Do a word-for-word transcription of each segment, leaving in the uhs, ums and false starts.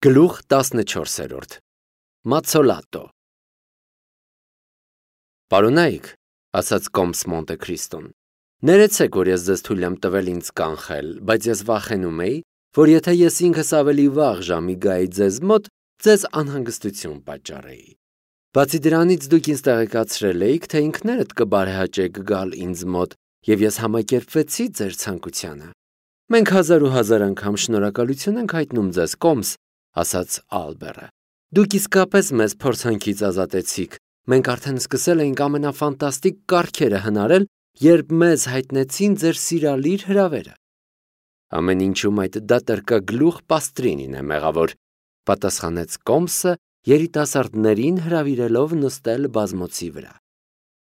Գլուխ տասնչորսերորդ Մացոլատո Պարոնայք, ասաց Կոմս Մոնտե Քրիստոն, ներեցեք, որ ես ձեզ թույլ եմ տվել ինձ կանխել, բայց ես վախենում էի, որ եթե ես ինքս ավելի վաղ ժամի գայի ձեզ մոտ, ձեզ անհանգստություն պատճառեի։ Բացի դրանից դուք ինձ տեղեկացրել էիք, թե ինքներդ կբարեհաճեք գալ ինձ մոտ, եւ ես համակերպվեցի ձեր ցանկությանը։ Մենք հազար ու հազար անգամ շնորհակալություն ենք հայտնում ձեզ, Կոմս, ասաց Ալբերը։ Դուք իսկապես մեզ փորձանքից ազատեցիք։ Մենք արդեն սկսել էինք ամենաֆանտաստիկ կարգերը հնարել, երբ մեզ հայտնեցին ձեր սիրալիր հրավերը։ Ամեն ինչում այդ դատարկագլուխ Պաստրինին է մեղավոր, պատասխանեց Կոմսը, երիտասարդներին հրավիրելով նստել բազմոցի վրա։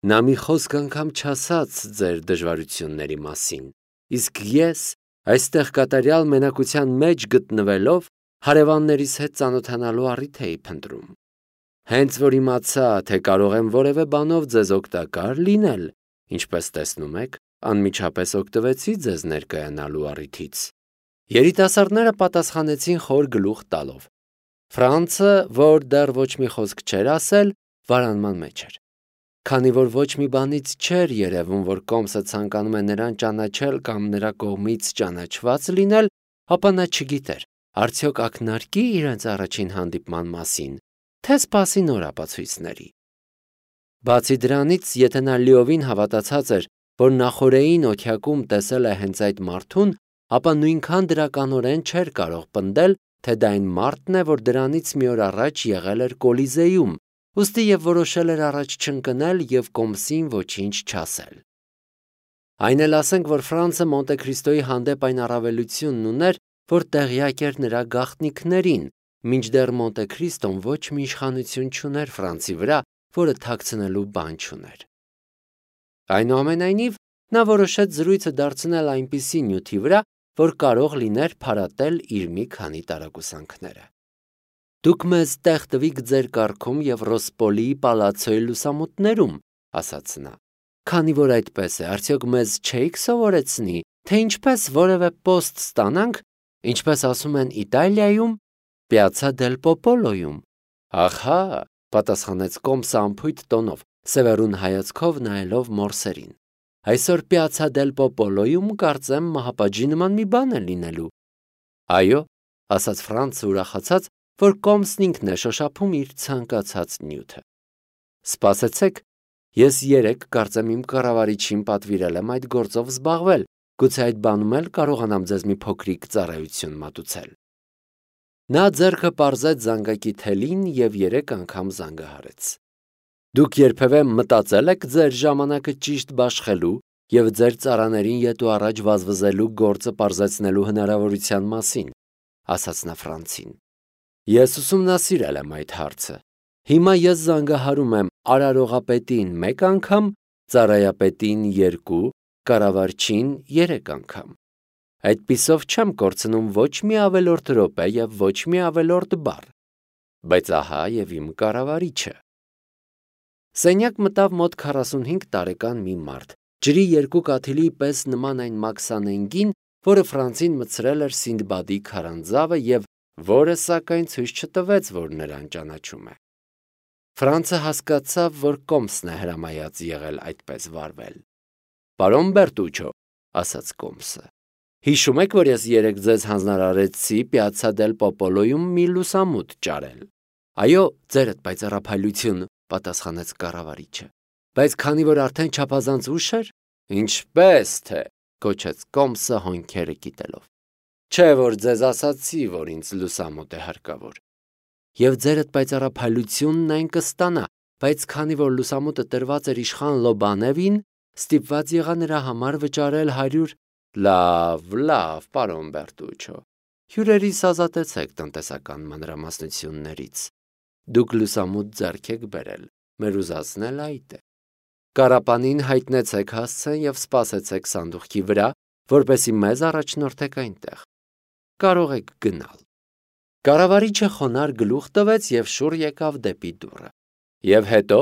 Նա մի խոսք անգամ չասաց ձեր դժվարությունների մասին, իսկ ես այստեղ կատարյալ մենակության մեջ գտնվելով հարևաններիս հետ ծանոթանալու առիթ էի փնտրում։ Հենց որ իմացա, թե կարող եմ որևէ բանով ձեզ օգտակար լինել, ինչպես տեսնում եք, անմիջապես օգտվեցի ձեզ ներկայանալու առիթից։ Երիտասարդները պատասխանեցին խոր գլուխ տալով։ Ֆրանցը, որ դեռ ոչ մի խոսք չէր ասել, վարանման մեջ էր։ Քանի որ ոչ մի բանից չէր երևում, որ Կոմսը ցանկանում է նրան ճանաչել կամ նրա կողմից ճանաչված լինել, ապա նա չգիտեր, արդյոք ակնարկի իրենց առաջին հանդիպման մասին, թե սպասի նոր ապացույցների։ Բացի դրանից, եթե նա լիովին հավատացած էր, որ նախօրեին օթյակում տեսել է հենց այդ մարդուն, ապա նույնքան դրականորեն չէր կարող պնդել, թե դա այն մարդն է, որ դրանից մի օր առաջ եղել էր Կոլիզեում, ուստի եւ որոշել էր առաջ չընկնել եւ Կոմսին ոչինչ չասել։ Այն էլ ասենք, որ Ֆրանցը Մոնտե Քրիստոյի հանդեպ այն առավելությունն ուներ, որ տեղյակ էր նրա գաղտնիքներին, մինչդեռ Մոնտե Քրիստոն ոչ մի իշխանություն չուներ Ֆրանցի վրա, որը թաքցնելու բան չուներ։ Այնուամենայնիվ, նա որոշեց զրույցը դարձնել այնպիսի նյութի վրա, որ կարող լիներ փարատել իր մի քանի տարակուսանքները։ Դուք մեզ տեղ տվիք ձեր կառքում եւ Ռոսպոլիի պալացոյի լուսամուտներում, ասաց նա։ Քանի որ այդպես է, արդյոք մեզ չէիք սովորեցնի, թե ինչպես որևէ պոստ ստանանք, ինչպես ասում են Իտալիայում, Պիացցա դել Պոպոլոյում։ Ահա, պատասխանեց Կոմսը անփույթ տոնով, սևեռուն հայացքով նայելով մորսերին։ Այսօր Պիացցա դել Պոպոլոյում կարծեմ մահապատժի նման մի բան է լինելու։ Այո, ասաց Ֆրանցը ուրախացած, որ Կոմսն ինքն է շոշափում իր ցանկացած նյութը։ Սպասեցեք, ես երեք կարծեմ իմ կառավարիչին պատվիրել եմ այդ գործով զբաղվել, գուցե այդ բանում էլ կարողանամ ձեզ մի փոքրիկ ծառայություն մատուցել։ Նա ձեռքը պարզեց զանգակի թելին եւ երեք անգամ զանգահարեց։ Դուք երբևէ մտածել եք ձեր ժամանակը ճիշտ բաշխելու եւ ձեր ծառաներին ետ ու առաջ վազվզելու գործը պարզեցնելու հնարավորության մասին, ասաց նա Ֆրանցին։ Ես ուսումնասիրել եմ այդ հարցը։ Հիմա ես զանգահարում եմ արարողապետին մեկ անգամ, ծառայապետին երկու, կառավարչին երեք անգամ։ Այդպիսով չեմ կորցնում ոչ մի ավելորդ րոպե եւ ոչ մի ավելորդ բառ։ Բայց ահա եւ իմ կառավարիչը։ Սենյակ մտավ մոտ քառասունհինգ տարեկան մի մարդ, ջրի երկու կաթիլի պես նման այն Մաքսանենգին, որը Ֆրանցին մտցրել էր Սինդբադի քարանձավը եւ որը սակայն ցույց չտվեց, որ նրան ճանաչում է։ Ֆրանցը հասկացավ, որ Կոմսն է հրամայած եղել այդպես վարվել։ Պարոն Բերտուչո, ասաց Կոմսը, հիշում եք, որ ես երեք ձեզ հանձնարարեցի Պիացցա դել Պոպոլոյում մի լուսամուտ ճարել։ Այո, ձերդ պայծառափայլություն, պատասխանեց կառավարիչը։ Բայց քանի որ արդեն չափազանց ուշ էր, ինչպես թե, գոչեց Կոմսը հոնքերը կիտելով։ Չէ, որ ձեզ ասացի, որ ինձ լուսամուտ է հարկավոր։ Եվ ձերդ պայծառափայլությունն այն կստանա, բայց քանի որ լուսամուտը տրված էր իշխան Լոբանևին, ստիպված եղա նրա համար վճարել հարյուր։ Լավ, լավ, պարոն Բերտուչո։ Հյուրերիս ազատեցեք տնտեսական մանրամասնություններից։ Դուք լուսամուտ ձեռք եք բերել, մեր ուզածն այդ է։ Կարապանին հայտնեցեք հասցեն եւ սպասեցեք սանդուղքի վրա, որպեսզի մեզ առաջնորդեք այնտեղ։ Կարող եք գնալ։ Կառավարիչը խոնար գլուխ տվեց եւ շուռ եկավ դեպի դուռը։ Եվ հետո,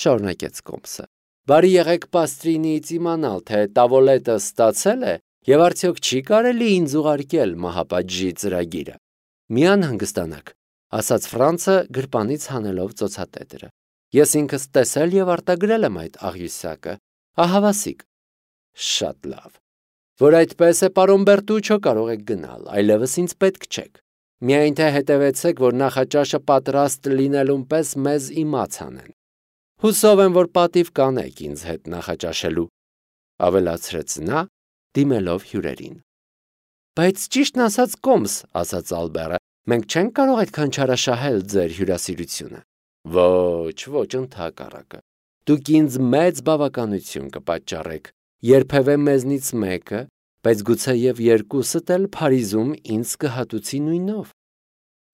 շարունակեց Կոմսը, բարի եղեք Պաստրինիից իմանալ, թե տավոլետը ստացել է եւ արդյոք չի կարելի ինձ ուղարկել մահապատժի ծրագիրը։ Մի անհանգստանաք, ասաց Ֆրանցը գրպանից հանելով ծոցատետրը։ Ես ինքս տեսել եւ արտագրել եմ այդ աղյուսակը, ահավասիկ։ Շատ լավ։ Որ այդպես է, պարոն Բերտուչո, կարող եք գնալ, այլևս ինձ պետք չեք։ Միայն թե հետևեցեք, որ նախաճաշը պատրաստ լինելուն պես մեզ իմաց անեն։ Հուսով եմ, որ պատիվ կանեք ինձ հետ նախաճաշելու, ավելացրեց նա, դիմելով հյուրերին։ Բայց ճիշտն ասած կոմս, ասաց Ալբերը, մենք չենք կարող այդքան չարաշահել ձեր հյուրասիրությունը։ Ոչ, ոչ, ընդհակառակը։ Դուք ինձ մեծ բավականություն կպատճառեք, երբևէ մեզնից մեկը, բայց գուցե եւ երկուսդ էլ Փարիզում ինձ կհատուցի նույնով։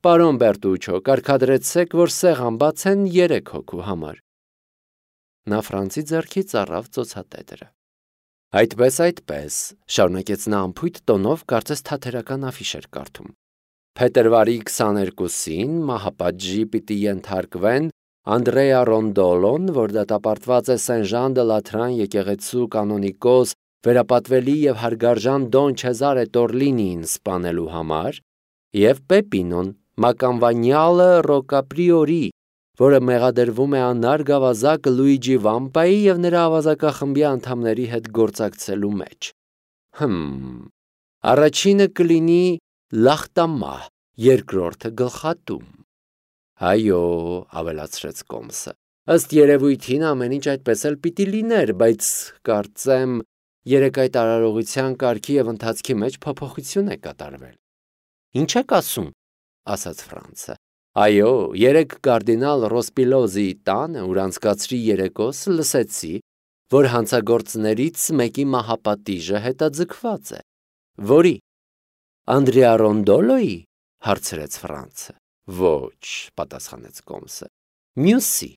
Պարոն Բերտուչո, կարգադրեցեք, որ սեղան բացեն երեք հոգու համար։ Նա Ֆրանցի ձեռքից առավ ծոցատետրը։ Այդպես, այդպես, շարունակեց նա անփույթ տոնով, կարծես թատերական աֆիշ էր կարդում։ Փետրվարի քսաներկուսին մահապատժի պիտի ենթարկվեն Անդրեա Ռոնդոլոն, որ դատապարտված է Սեն-Ժան դը Լաթրան եկեղեցու կանոնիկոս վերապատվելի եւ հարգարժան Դոն Չեզարե Տորլինին սպանելու համար, եւ Պեպինոն, մականվանյալը Ռոկապրիորի, որը մեղադրվում է անար գավազակ Լուիջի Վամպայի եւ նրա ավազակախմբի անդամների հետ գործակցելու մեջ։ Հմ, առաջինը կլինի Լախտամահ, երկրորդը գլխատում։ Այո, ավելացրեց Կոմսը։ Ըստ երևույթին ամեն ինչ այդպես էլ պիտի լիներ, բայց կարծեմ երեք այդ արարողության կարգի եւ ընթացքի մեջ փոփոխություն է կատարվել։ Ինչ եք ասում, ասաց Ֆրանցը։ Այո, երեք կարդինալ Ռոսպիլոզի տանը, ուր անցկացրի երեկոս, լսեցի, որ հանցագործներից մեկի մահապատիժը հետաձգված է։ Որի։ Անդրեա Ռոնդոլոյի, հարցրեց Ֆրանցը։ Ոչ, պատասխանեց Կոմսը։ Մյուսի։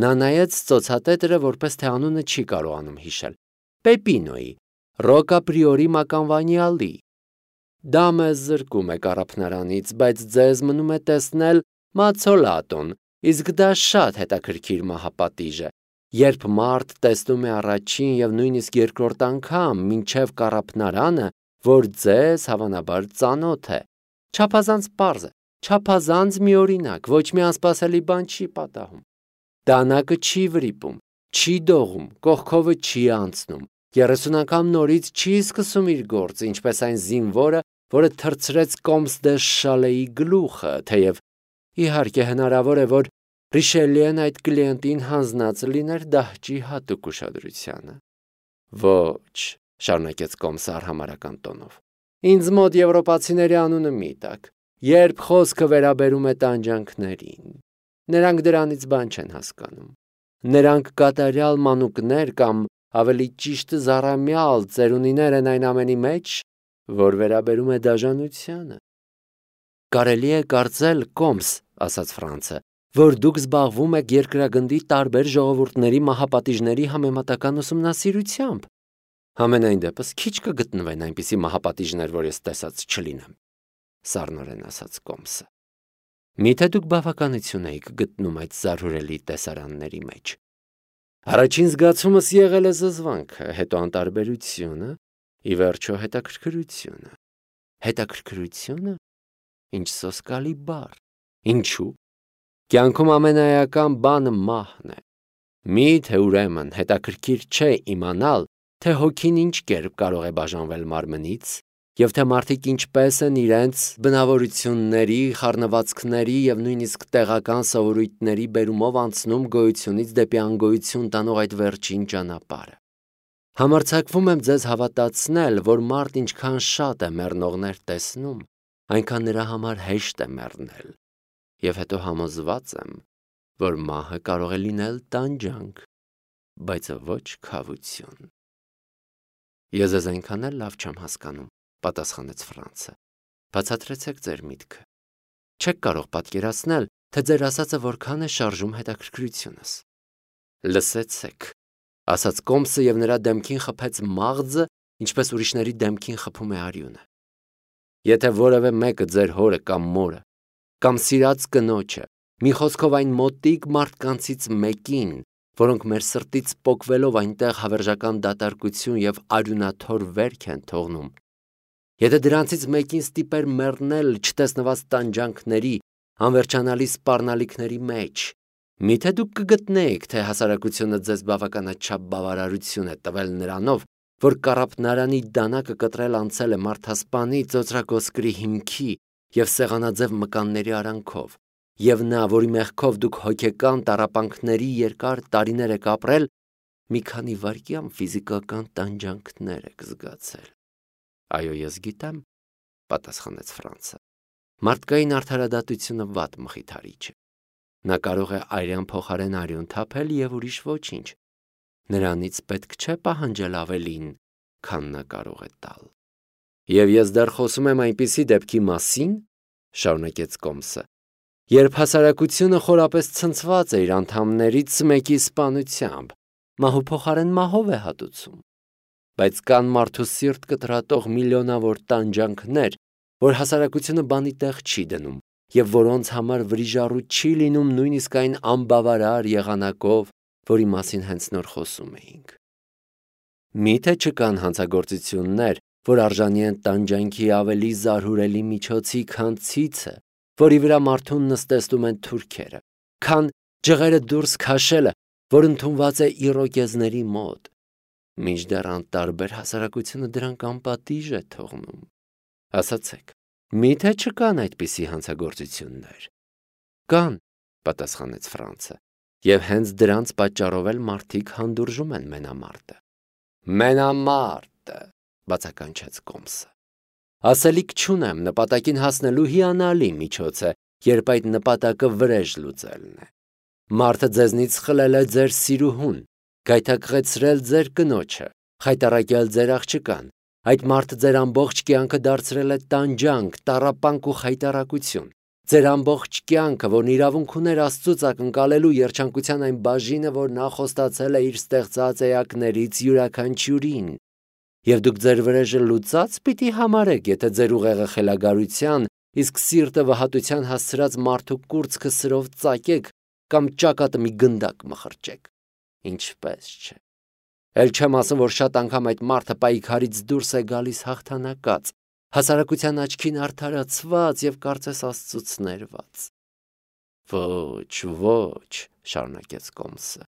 Նա նայեց ծոցատետրը, որպես թե անունը չի կարողանում հիշել։ Պեպինոյի, Ռոկապրիորի մականվանյալի։ Դա մեզ զրկում է կառափնարանից, բայց ձեզ մնում է տեսնել Մացոլատոն, իսկ դա շատ հետաքրքիր մահապատիժ է, երբ մարդ տեսնում է առաջին եւ նույնիսկ երկրորդ անգամ մինչեւ կառափնարանը, որ ձեզ հավանաբար ծանոթ է։ Չափազանց պարզ է, չափազանց միօրինակ, ոչ մի անսպասելի բան չի պատահում։ Դանակը չի վրիպում, չի դողում, կողքովը չի անցնում, երեսուն անգամ նորից չի սկսում իր գործը, ինչպես այն զինվորը, որը թրցրեց Կոմս դե Շալեի գլուխը, թեև իհարկե հնարավոր է, որ Ռիշելիեն այդ կլիենտին հանձնած լիներ դահճի հատուկ ուշադրությանը։ Ոչ, շարունակեց Կոմսը արհամարհական տոնով։ Ինձ մոտ եվրոպացիների անունը մի տակ, երբ խոսքը վերաբերում է տանջանքներին։ Նրանք դրանից բան չեն հասկանում։ Նրանք կատարյալ մանուկներ կամ ավելի ճիշտ զառամյալ ծերունիներ են այն ամենի մեջ, որ վերաբերում է դաժանությանը։ Կարելի է կարծել, Կոմս, ասաց Ֆրանցը, որ դուք զբաղվում եք երկրագնդի տարբեր ժողովուրդների մահապատիժների համեմատական ուսումնասիրությամբ։ Համենայն դեպս քիչ կգտնվեն այնպիսի մահապատիժներ, որ ես տեսած չլինեմ, սառնորեն ասաց Կոմսը։ Միթե դուք բավականություն եք գտնում այդ զարհուրելի տեսարանների մեջ։ Առաջին զգացումս եղել է զզվանքը, հետո անտարբերությունը, ի վերջո հետաքրքրությունը։ Հետաքրքրությունը։ Ինչ սոսկալի բառ։ Ինչու։ Կյանքում ամենաեական բանը մահն է։ Միթե ուրեմն հետաքրքիր չէ իմանալ, թե հոգին ինչ կերպ կարող է բաժանվել մարմնից, եւ թե մարդիկ ինչպես են իրենց բնավորությունների, խառնվածքների եւ նույնիսկ տեղական սովորույթների բերումով անցնում գոյությունից դեպի անգոյություն տանող այդ վերջին ճանապարհը։ Համարձակվում եմ ձեզ հավատացնել, որ մարդ ինչքան շատ է մեռնողներ տեսնում, այնքան նրա համար հեշտ է մեռնել, եւ հետո համոզված եմ, որ մահը կարող է լինել տանջանք, բայց ոչ քավություն։ Ես ես այնքան էլ լավ չեմ հասկանում, պատասխանեց Ֆրանցը։ Բացատրեցեք ձեր միտքը։ Չեք կարող պատկերացնել, թե ձեր ասածը որքան է շարժում հետաքրքրությունս։ Լսեցեք, ասաց Կոմսը եւ նրա դեմքին խփեց մաղձը, ինչպես ուրիշների դեմքին խփում է արյունը։ Եթե որևէ մեկը ձեր հորը կամ մորը, կամ սիրած կնոջը, մի խոսքով այն մոտիկ մարդկանցից մեկին, որոնք մեր սրտից պոկվելով այնտեղ հավերժական դատարկություն եւ արյունաթոր վերք են թողնում, Եթե դրանցից մեկին ստիպեր մեռնել չտեսնված տանջանքների, անվերջանալի սպառնալիքների մեջ, միթե դուք կգտնեիք, թե հասարակությունը ձեզ բավականաչափ բավարարություն է տվել նրանով, որ կառափնարանի դանակը կտրել անցել է մարդասպանի ծոծրակոսկրի հիմքի և սեղանաձև մկանների արանքով, և նա, որի մեղքով դուք հոգեկան տառապանքների երկար տարիներ եք ապրել, մի քանի վայրկյան ֆիզիկական տանջանքներ եք զգացել։ Այո, ես գիտեմ, պատասխանեց Ֆրանցը։ Մարդկային արդարադատությունը վատ մխիթարիչ է։ Նա կարող է արյան փոխարեն արյուն թափել և ուրիշ ոչինչ։ Նրանից պետք չէ պահանջել ավելին, քան նա կարող է տալ։ Եվ ես դեռ խոսում եմ այնպիսի դեպքի մասին, շարունակեց Կոմսը, երբ հասարակությունը խորապես ցնցված է իր անդամներից մեկի սպանությամբ, մահու փոխարեն մահով է հատուցում։ Բայց կան մարդու սիրտ կտրատող միլիոնավոր տանջանքներ, որ հասարակությունը բանի տեղ չի դնում, և որոնց համար վրիժառու չի լինում նույնիսկ այն անբավարար եղանակով, որի մասին հենց նոր խոսում էինք։ Միթե չկան հանցագործություններ, որ արժանի են տանջանքի ավելի զարհուրելի միջոցի, քան ցիցը, որի վրա մարդուն նստեցնում են թուրքերը, քան ջղերը դուրս քաշելը, որ ընդունված է իրոկեզների մոտ։ Մինչդեռ անտարբեր հասարակությունը դրանք անպատիժ է թողնում։ Ասացեք, միթե չկան այդպիսի հանցագործություններ։ Կան, պատասխանեց Ֆրանցը, և հենց դրանց պատճառով էլ մարդիկ հանդուրժում են մենամարտը։ Մենամարտը, բացականչեց Կոմսը։ Ասելիք չունեմ, նպատակին հասնելու հիանալի միջոց է, երբ այդ նպատակը վրեժ լուծելն է։ Մարդը ձեզնից խլել է ձեր սիրուհուն, գայթակղեցրել ձեր կնոջը, խայտառակել ձեր աղջկան, այդ մարդը ձեր ամբողջ կյանքը դարձրել է տանջանք, տառապանք ու խայտառակություն, ձեր ամբողջ կյանքը, որն իրավունք ուներ Աստծուց ակնկալելու երջանկության այն բաժինը, որ նա խոստացել է իր ստեղծած էակներից յուրաքանչյուրին, և դուք ձեր վրեժը լուծած պիտի համարեք, եթե ձեր ուղեղը խելագարության, իսկ սիրտը վհատության հասցրած մարդու կուրծքը սրով ծակեք կամ ճակատը մի գնդակ մխրճեք։ Ինչպես չէ։ Էլ չեմ ասում, որ շատ անգամ այդ մարդը պայքարից դուրս է գալիս հաղթանակած, հասարակության աչքին արդարացված և կարծես Աստծուց ներված։ Ոչ, ոչ, շարունակեց Կոմսը։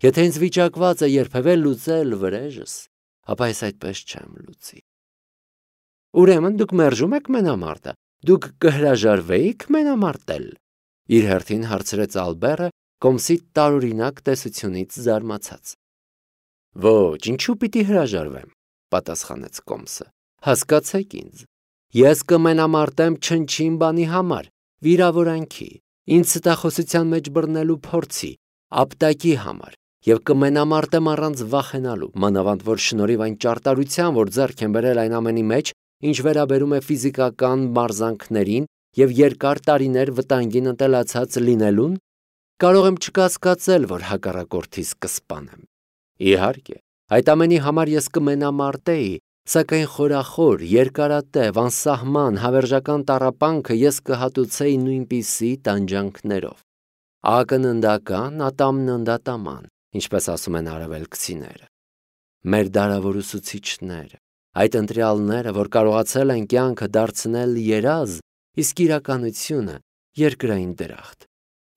Եթե ինձ վիճակված է երբևէ լուծել վրեժս, ապա ես այդպես չեմ լուծի։ Ուրեմն դուք մերժում եք մենամարտը, դուք կհրաժարվեիք մենամարտել։ Իր հերթին հարցրեց Ալբերը, Կոմսի տարօրինակ տեսությունից զարմացած։ Ոչ, ինչու պիտի հրաժարվեմ, պատասխանեց Կոմսը։ Հասկացեք ինձ։ Ես կմենամարտեմ չնչին բանի համար, վիրավորանքի, ինձ ստախոսության մեջ բռնելու փորձի, ապտակի համար, և կմենամարտեմ առանց վախենալու, մանավանդ որ շնորհիվ այն ճարտարության, որ ձեռք եմ բերել այն ամենի մեջ, ինչ վերաբերում է ֆիզիկական մարզանքներին և երկար տարիներ վտանգին ընտելացած լինելուն, կարող եմ չկասկածել, որ հակառակորդիս կսպանեմ։ Իհարկե, այդ ամենի համար ես կմենամարտեի, սակայն խորախոր, երկարատև, անսահման, հավերժական տառապանքը ես կհատուցեի նույնպիսի տանջանքներով։ Ակննդական, ատամննդատաման, ինչպես ասում են արևելքցիները։ Մեր դարավոր ուսուցիչները, այդ ընտրյալները, որ կարողացել են կյանքը դարձնել երազ, իսկ իրականությունը երկրային դրախտ։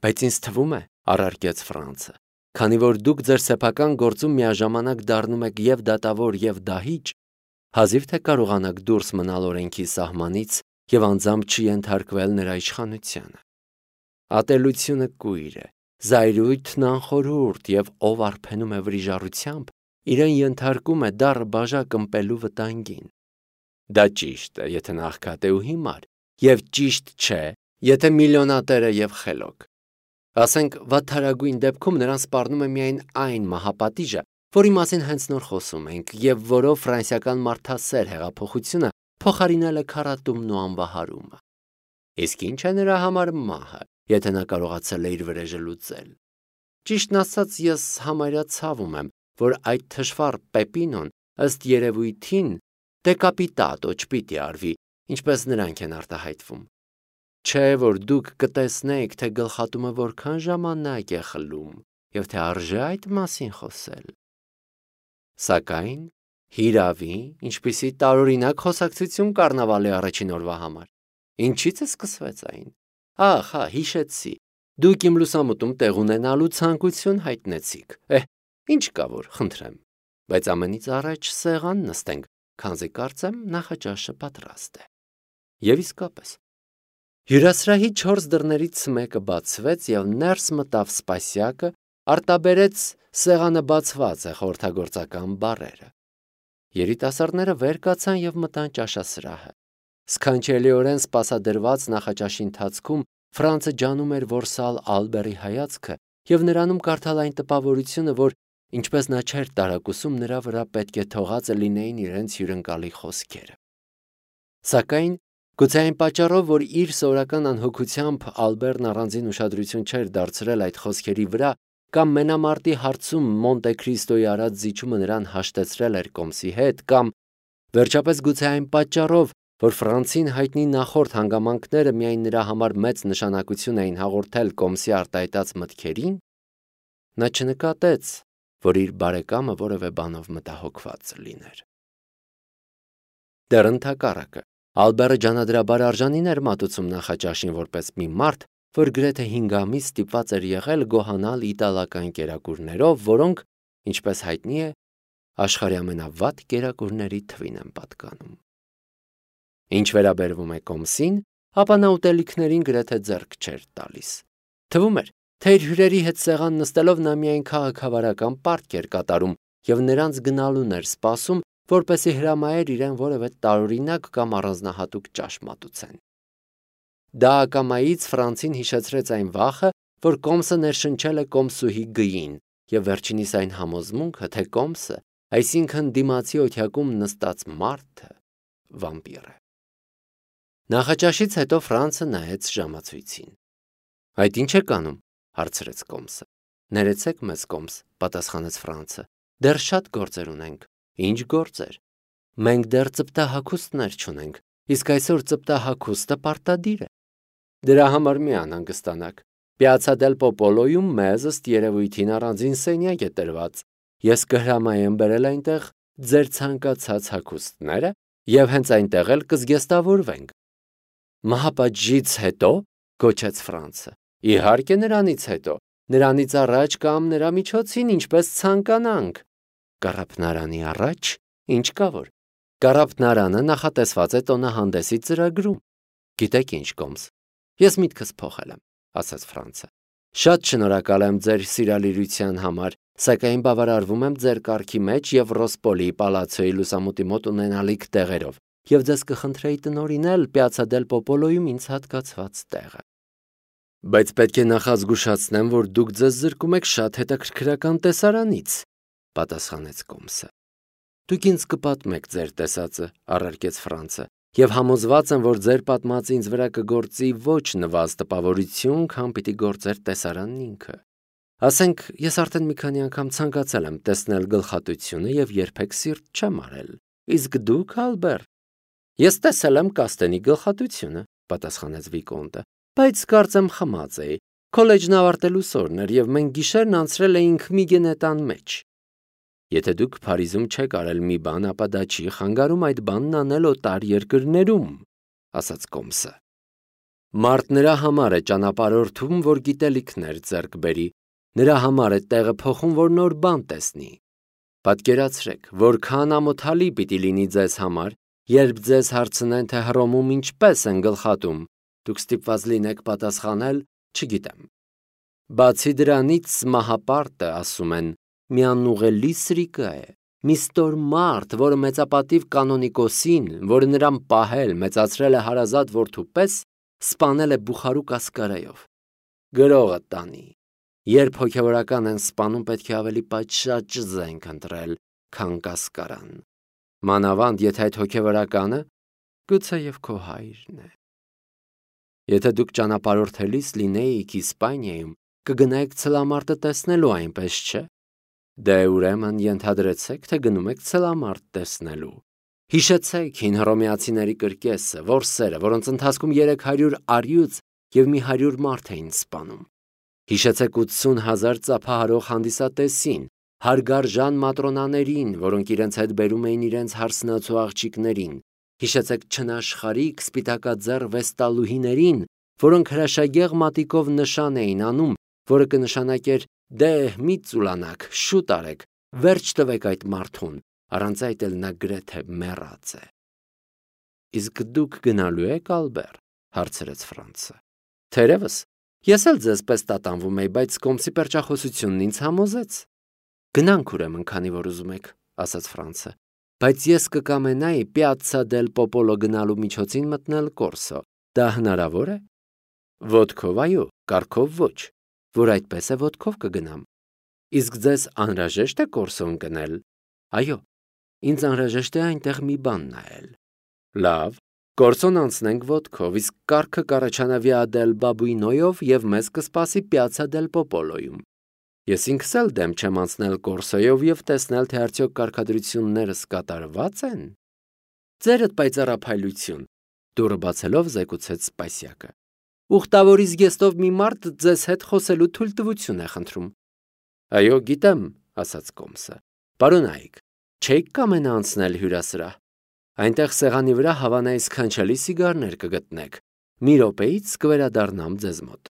Բայց ինձ թվում է, առարկեց Ֆրանցը, քանի որ դուք ձեր սեփական գործում միաժամանակ դառնում եք և դատավոր, և դահիճ, հազիվ թե կարողանաք դուրս մնալ օրենքի սահմանից և անձամբ չենթարկվել նրա իշխանությանը։ Ատելությունը կույր է, զայրույթն անխորհուրդ, և ով արբենում է վրիժառությամբ, իրեն ենթարկում է դառը բաժակ ըմպելու վտանգին։ Դա ճիշտ է, եթե նա աղքատ է ու հիմար, և ճիշտ չէ, եթե միլիոնատեր է և խելոք։ Ասենք, վատթարագույն դեպքում նրան սպառնում է միայն այն մահապատիժը, որի մասին հենց նոր խոսում ենք, և որով ֆրանսիական մարդասեր հեղափոխությունը փոխարինել է քառատումն ու անվահարումը։ Իսկ ինչ է նրա համար մահը, եթե նա կարողացել է իր վրեժը լուծել։ Ճիշտն ասած, ես համարյա ցավում եմ, որ այդ թշվառ Պեպինոն ըստ երևույթին դեկապիտատո չպիտի արվի, ինչպես նրանք են արտահայտվում։ Չէ, որ դուք կտեսնեիք, թե գլխատումը որքան ժամանակ է խլում, և թե արժե այդ մասին խոսել։ Սակայն Հիրավի, ինչպիսի տարօրինակ խոսակցություն կառնավալի առաջին օրվա համար։ Ինչից է սկսվեց այն։ Ահ, հա, հիշեցի։ Դուք իմ լուսամուտում տեղ ունենալու ցանկություն հայտնեցիք։ Էհ, ինչ կա որ, խնդրեմ։ Բայց ամենից առաջ սեղան նստենք, քանզի կարծեմ նախաճաշը պատրաստ է։ Եվ իսկապես, հյուրասրահի չորս դռներից մեկը բացվեց և ներս մտավ Սպասյակը, արտաբերեց սեղանը բացված է խորհրդագործական բառերը։ Երիտասարդները վեր կացան և մտան ճաշասրահը։ Սքանչելիորեն սպասադրված նախաճաշի ընթացքում Ֆրանցը ջանում էր որսալ Ալբերի հայացքը և նրանում կարդալ այն տպավորությունը, որ ինչպես նա չէր տարակուսում, նրա վրա պետք է թողածը լինեին իրենց հյուրընկալի խոսքերը։ Սակայն գուցե այն պատճառով, որ իր սովորական անհոգությամբ Ալբերն առանձին ուշադրություն չէր դարձրել այդ խոսքերի վրա, կամ մենամարտի հարցում Մոնտե Քրիստոյի արած զիջումը նրան հաշտեցրել էր Կոմսի հետ, կամ վերջապես գուցե այն պատճառով, որ Ֆրանցին հայտնի նախորդ հանգամանքները միայն նրա համար մեծ նշանակություն էին հաղորդել Կոմսի արտահայտած մտքերին, նա չնկատեց, որ իր բարեկամը որևէ բանով մտահոգված լիներ։ Դեռ ընդհակառակը, Ալբերը ջանադրաբար արժանին էր մատուցում նախաճաշին որպես մի մարդ, որ գրեթե հինգ ամիս ստիպված էր եղել գոհանալ իտալական կերակուրներով, որոնք, ինչպես հայտնի է, աշխարհի ամենավատ կերակուրների թվին են պատկանում։ Ինչ վերաբերվում է Կոմսին, ապա նա ուտելիքներին գրեթե ձեռք չէր տալիս։ Թվում էր, թե իր հյուրերի հետ սեղան նստելով նա միայն քաղաքավարական պարտք էր կատարում և նրանց գնալուն էր սպասում, որպեսզի հրամայեր իրեն որևէ տարօրինակ կամ առանձնահատուկ ճաշ մատուցեն։ Դա ակամայից Ֆրանցին հիշեցրեց այն վախը, որ Կոմսը ներշնչել է Կոմսուհի գույին, և վերջինիս այն համոզմունքը, թե Կոմսը, այսինքն դիմացի օթյակում նստած մարդը, վամպիր է։ Նախաճաշից հետո Ֆրանցը նայեց ժամացույցին։ Այդ ինչ եք անում, հարցրեց Կոմսը։ Ներեցեք մեզ, Կոմս, պատասխանեց Ֆրանցը։ Դեռ շատ գործեր ունենք։ Ինչ գործեր։ Մենք դեռ ծպտահագուստներ չունենք, իսկ այսօր ծպտահագուստը պարտադիր է։ Դրա համար մի անհանգստանաք։ Պիացցա դել Պոպոլոյում մեզ ըստ երևույթին առանձին սենյակ է տրված։ Ես կհրամայեմ բերել այնտեղ ձեր ցանկացած հագուստները և հենց այնտեղ էլ կզգեստավորվենք։ Մահապատժից հետո, գոչեց Ֆրանցը։ Իհարկե նրանից հետո, նրանից առաջ կամ նրա միջոցին, ինչպես ցանկանանք։ Կառափնարանի առաջ, ինչ կա որ։ Կառափնարանը նախատեսված է տոնահանդեսի ծրագրում։ Գիտեք ինչ, Կոմս, ես միտքս փոխել եմ, ասաց Ֆրանցը։ Շատ շնորհակալ եմ ձեր սիրալիրության համար, սակայն բավարարվում եմ ձեր կարգի մեջ և Ռոսպոլի պալացոյի լուսամուտի մոտ ունենալիք տեղերով, և ձեզ կխնդրեի տնօրինել Պիացցա դել Պոպոլոյում ինձ հատկացված տեղը։ Բայց պետք է նախազգուշացնեմ, որ դուք ձեզ զրկում եք շատ հետաքրքրական տեսարանից, պատասխանեց Կոմսը։ Դուք ինձ կպատմեք ձեր տեսածը, առարկեց Ֆրանցը, և համոզված եմ, որ ձեր պատմածը ինձ վրա կգործի ոչ նվազ տպավորություն, քան պիտի գործեր տեսարանն ինքը։ Ասենք, ես արդեն մի քանի անգամ ցանկացել եմ տեսնել գլխատությունը և երբեք սիրտ չեմ արել։ Իսկ դուք, Ալբեր։ Ես տեսել եմ Կաստենի գլխատությունը, պատասխանեց Վիկոնտը, բայց կարծեմ խմած էի։ Քոլեջն ավարտելուս օրն էր, և մենք գիշերն անցրել էինք մի գենետան մեջ։ Եթե դուք Փարիզում չեք արել մի բան, ապա դա չի խանգարում այդ բանն անել օտար երկրներում, ասաց Կոմսը։ Մարդ նրա համար է ճանապարհորդում, որ գիտելիքներ ձեռք բերի, նրա համար է տեղը փոխում, որ նոր բան տեսնի։ Պատկերացրեք, որքան ամոթալի պիտի լինի ձեզ համար, երբ ձեզ հարցնեն, թե Հռոմում ինչպես են գլխատում, դուք ստիպված լինեք պատասխանել, չգիտեմ։ Բացի դրանից, մահապարտը, ասում են, մի անուղելի սրիկա է, մի ստոր մարդ, որը մեծապատիվ կանոնիկոսին, որը նրան պահել, մեծացրել է հարազատ որդու պես, սպանել է Բուխարու կասկարայով։ Գրողը տանի։ Երբ հոգևորական են սպանում, պետք է ավելի պատշաճ զենք ընտրել, քան կասկարան։ Մանավանդ, եթե այդ հոգևորականը գուցե և քո հայրն է։ Եթե դուք ճանապարհորդելիս լինեիք Իսպանիայում, կգնայիք ցլամարտը տեսնելու, այնպես չէ։ Դե ուրեմն ենթադրեցեք, թե գնում եք ցլամարտ տեսնելու։ Հիշեցեք հին հռոմեացիների կրկեսը, որսերը, որոնց ընթացքում երեք հարյուր առյուծ և մի հարյուր մարդ էին սպանում։ Հիշեցեք ութսուն հազար ծափահարող հանդիսատեսին, հարգարժան մատրոնաներին, որոնք իրենց հետ բերում էին իրենց հարսնացու աղջիկներին, հիշեցեք չնաշխարհիկ սպիտակաձեռ վեստալուհիներին, որոնք հրաշագեղ մատիկով նշան էին անում, որը կնշանակեր դե մի ծուլանակ, շուտ արեք, վերջ տվեք այդ մարդուն, առանց այդ էլ նա գրեթե մեռած է։ Իսկ դուք գնալու եք, Ալբեր, հարցրեց Ֆրանցը։ Թերևս, ես էլ ձեզ պես տատանվում էի, բայց կոմսի պերճախոսությունն ինձ համոզեց։ Գնանք ուրեմն, քանի որ ուզում եք, ասաց Ֆրանցը, բայց ես կկամենայի Պիացցա դել Պոպոլո գնալու միջոցին մտնել Կորսո։ Դա հնարավոր է։ Ոտքով այո, կառքով ոչ, որ այդպես է ոտքով կգնամ։ Իսկ ձեզ անհրաժեշտ է Կորսո ընկնել։ Այո, ինձ անհրաժեշտ է այնտեղ մի բան նայել։ Լավ, Կորսոն անցնենք ոտքով, իսկ կառքը կառաջանա Վիա դել Բաբուինոյով եւ մեզ կսպասի Պիացցա դել Պոպոլոյում։ Ես ինքս էլ դեմ չեմ անցնել Կորսոյով եւ տեսնել, թե արդյոք կարգադրություններս կատարված են։ Ձերդ պայծառափայլություն, դուրը բացելով զեկուցեց Սպասյակը։ Ուխտավորի զգեստով մի մարդ ձեզ հետ խոսելու թույլտվություն է խնդրում։ Այո, գիտեմ, ասաց Կոմսը։ Պարոնայք, չեք կամենա անցնել հյուրասրահ։ Այնտեղ սեղանի վրա հավանայի սքանչելի սիգարներ կգտնեք։ Մի րոպեից կվերադառնամ ձեզ մոտ։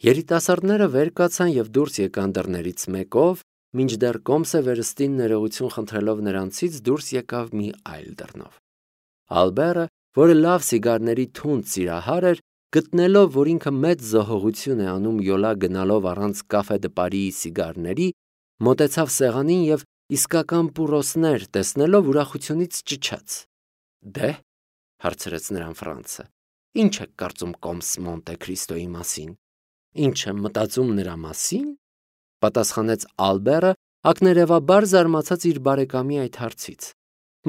Երիտասարդները վեր կացան եւ դուրս եկան դռներից մեկով, մինչդեռ Կոմսը վերստին ներողություն խնդրելով նրանցից դուրս եկավ մի այլ դռնով։ Ալբերը, որը լավ սիգարների թունդ սիրահար էր, գտնելով, որ ինքը մեծ զոհողություն է անում յոլա գնալով առանց կաֆե դե Պարիի սիգարների, մոտեցավ սեղանին եւ իսկական պուրոսներ տեսնելով ուրախությունից ճչաց։ Դե, հարցրեց նրան Ֆրանցը, ինչ եք կարծում Կոմս Մոնտե Քրիստոյի մասին։ Ինչ եմ մտածում նրա մասին, պատասխանեց Ալբերը, ակներևաբար զարմացած իր բարեկամի այդ հարցից։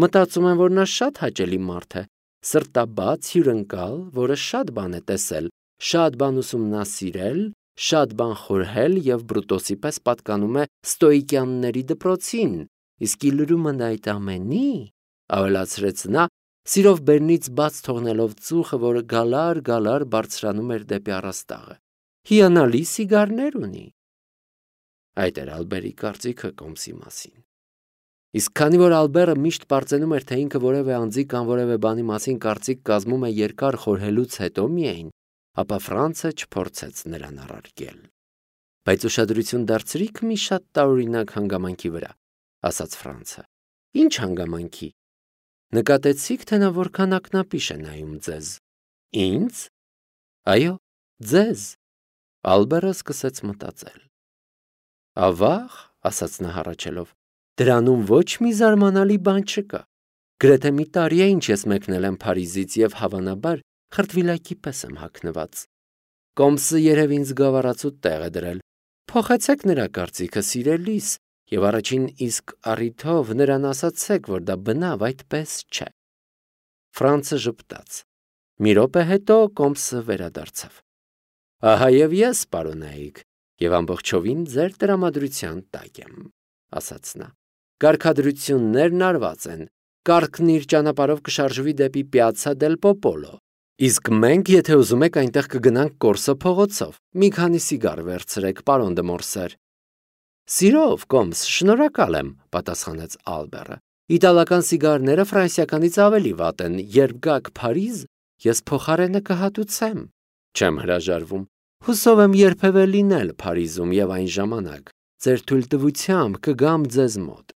Մտածում եմ, որ նա շատ հաճելի մարդ է, սրտաբաց, հյուրընկալ, որը շատ բան է տեսել, շատ բան ուսումնասիրել, շատ բան խորհել եւ Բրուտոսի պես պատկանում է ստոիկյանների դպրոցին, իսկ իլրումը այդ ամենի, ավելացրեց նա, սիրով բերնից բաց թողնելով ծուխը, որը գալար-գալար բարձրանում էր դեպի առաստաղը։ Հիանալի սիգարներ ունի։ Այդ էր Ալբերի կարծիքը Կոմսի մասին։ Իսկ քանի որ Ալբերը միշտ պարծենում էր, թե ինքը որևէ անձի կամ որևէ բանի մասին կարծիք կազմում է երկար խորհելուց հետո միայն, ապա Ֆրանցը չփորձեց նրան առարկել։ Բայց ուշադրություն դարձրիք մի շատ տարօրինակ հանգամանքի վրա, ասաց Ֆրանցը։ Ինչ հանգամանքի։ Նկատեցիք, թե նա որքան ակնապիշ է նայում ձեզ։ Ինձ։ Այո, ձեզ։ Ալբերը սկսեց մտածել։ Ավաղ, ասաց նա հառաչելով, դրանում ոչ մի զարմանալի բան չկա։ Գրեթե մի տարի է ինչ ես մեկնել եմ Փարիզից եւ հավանաբար խրտվիլակի պես եմ հագնված։ Կոմսը երև ինձ գավառացու տեղ է դրել։ Փոխեցեք նրա կարծիքը սիրելիս եւ առաջին իսկ առիթով նրան ասացեք, որ դա բնավ այդպես չէ։ Ֆրանցը ժպտաց։ Մի րոպե հետո Կոմսը վերադարձավ։ Ահա եւ ես, պարոնայք, եւ ամբողջովին ձեր տրամադրության տակ եմ, ասաց նա։ Կարգադրություններն արված են։ Կառքն իր ճանապարհով կշարժվի դեպի Պիացցա դել Պոպոլո։ Իսկ մենք, եթե ուզում եք, այնտեղ կգնանք Կորսո փողոցով։ Մի քանի սիգար վերցրեք, պարոն դե Մորսեր։ Սիրով, Կոմս, շնորհակալ եմ, պատասխանեց Ալբերը։ Իտալական սիգարները ֆրանսիականից ավելի վատ են։ Երբ գաք Փարիզ, ես փոխարենը կհատուցեմ։ Չեմ հրաժարվում։ Հուսով եմ երբևէ լինել Փարիզում եւ այն ժամանակ ձեր թույլտվությամբ կգամ ձեզ մոտ։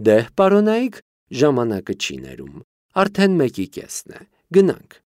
Դե, պարոնայք, ժամանակը չի ներում։ Արդեն մեկի կեսն է։ Գնանք։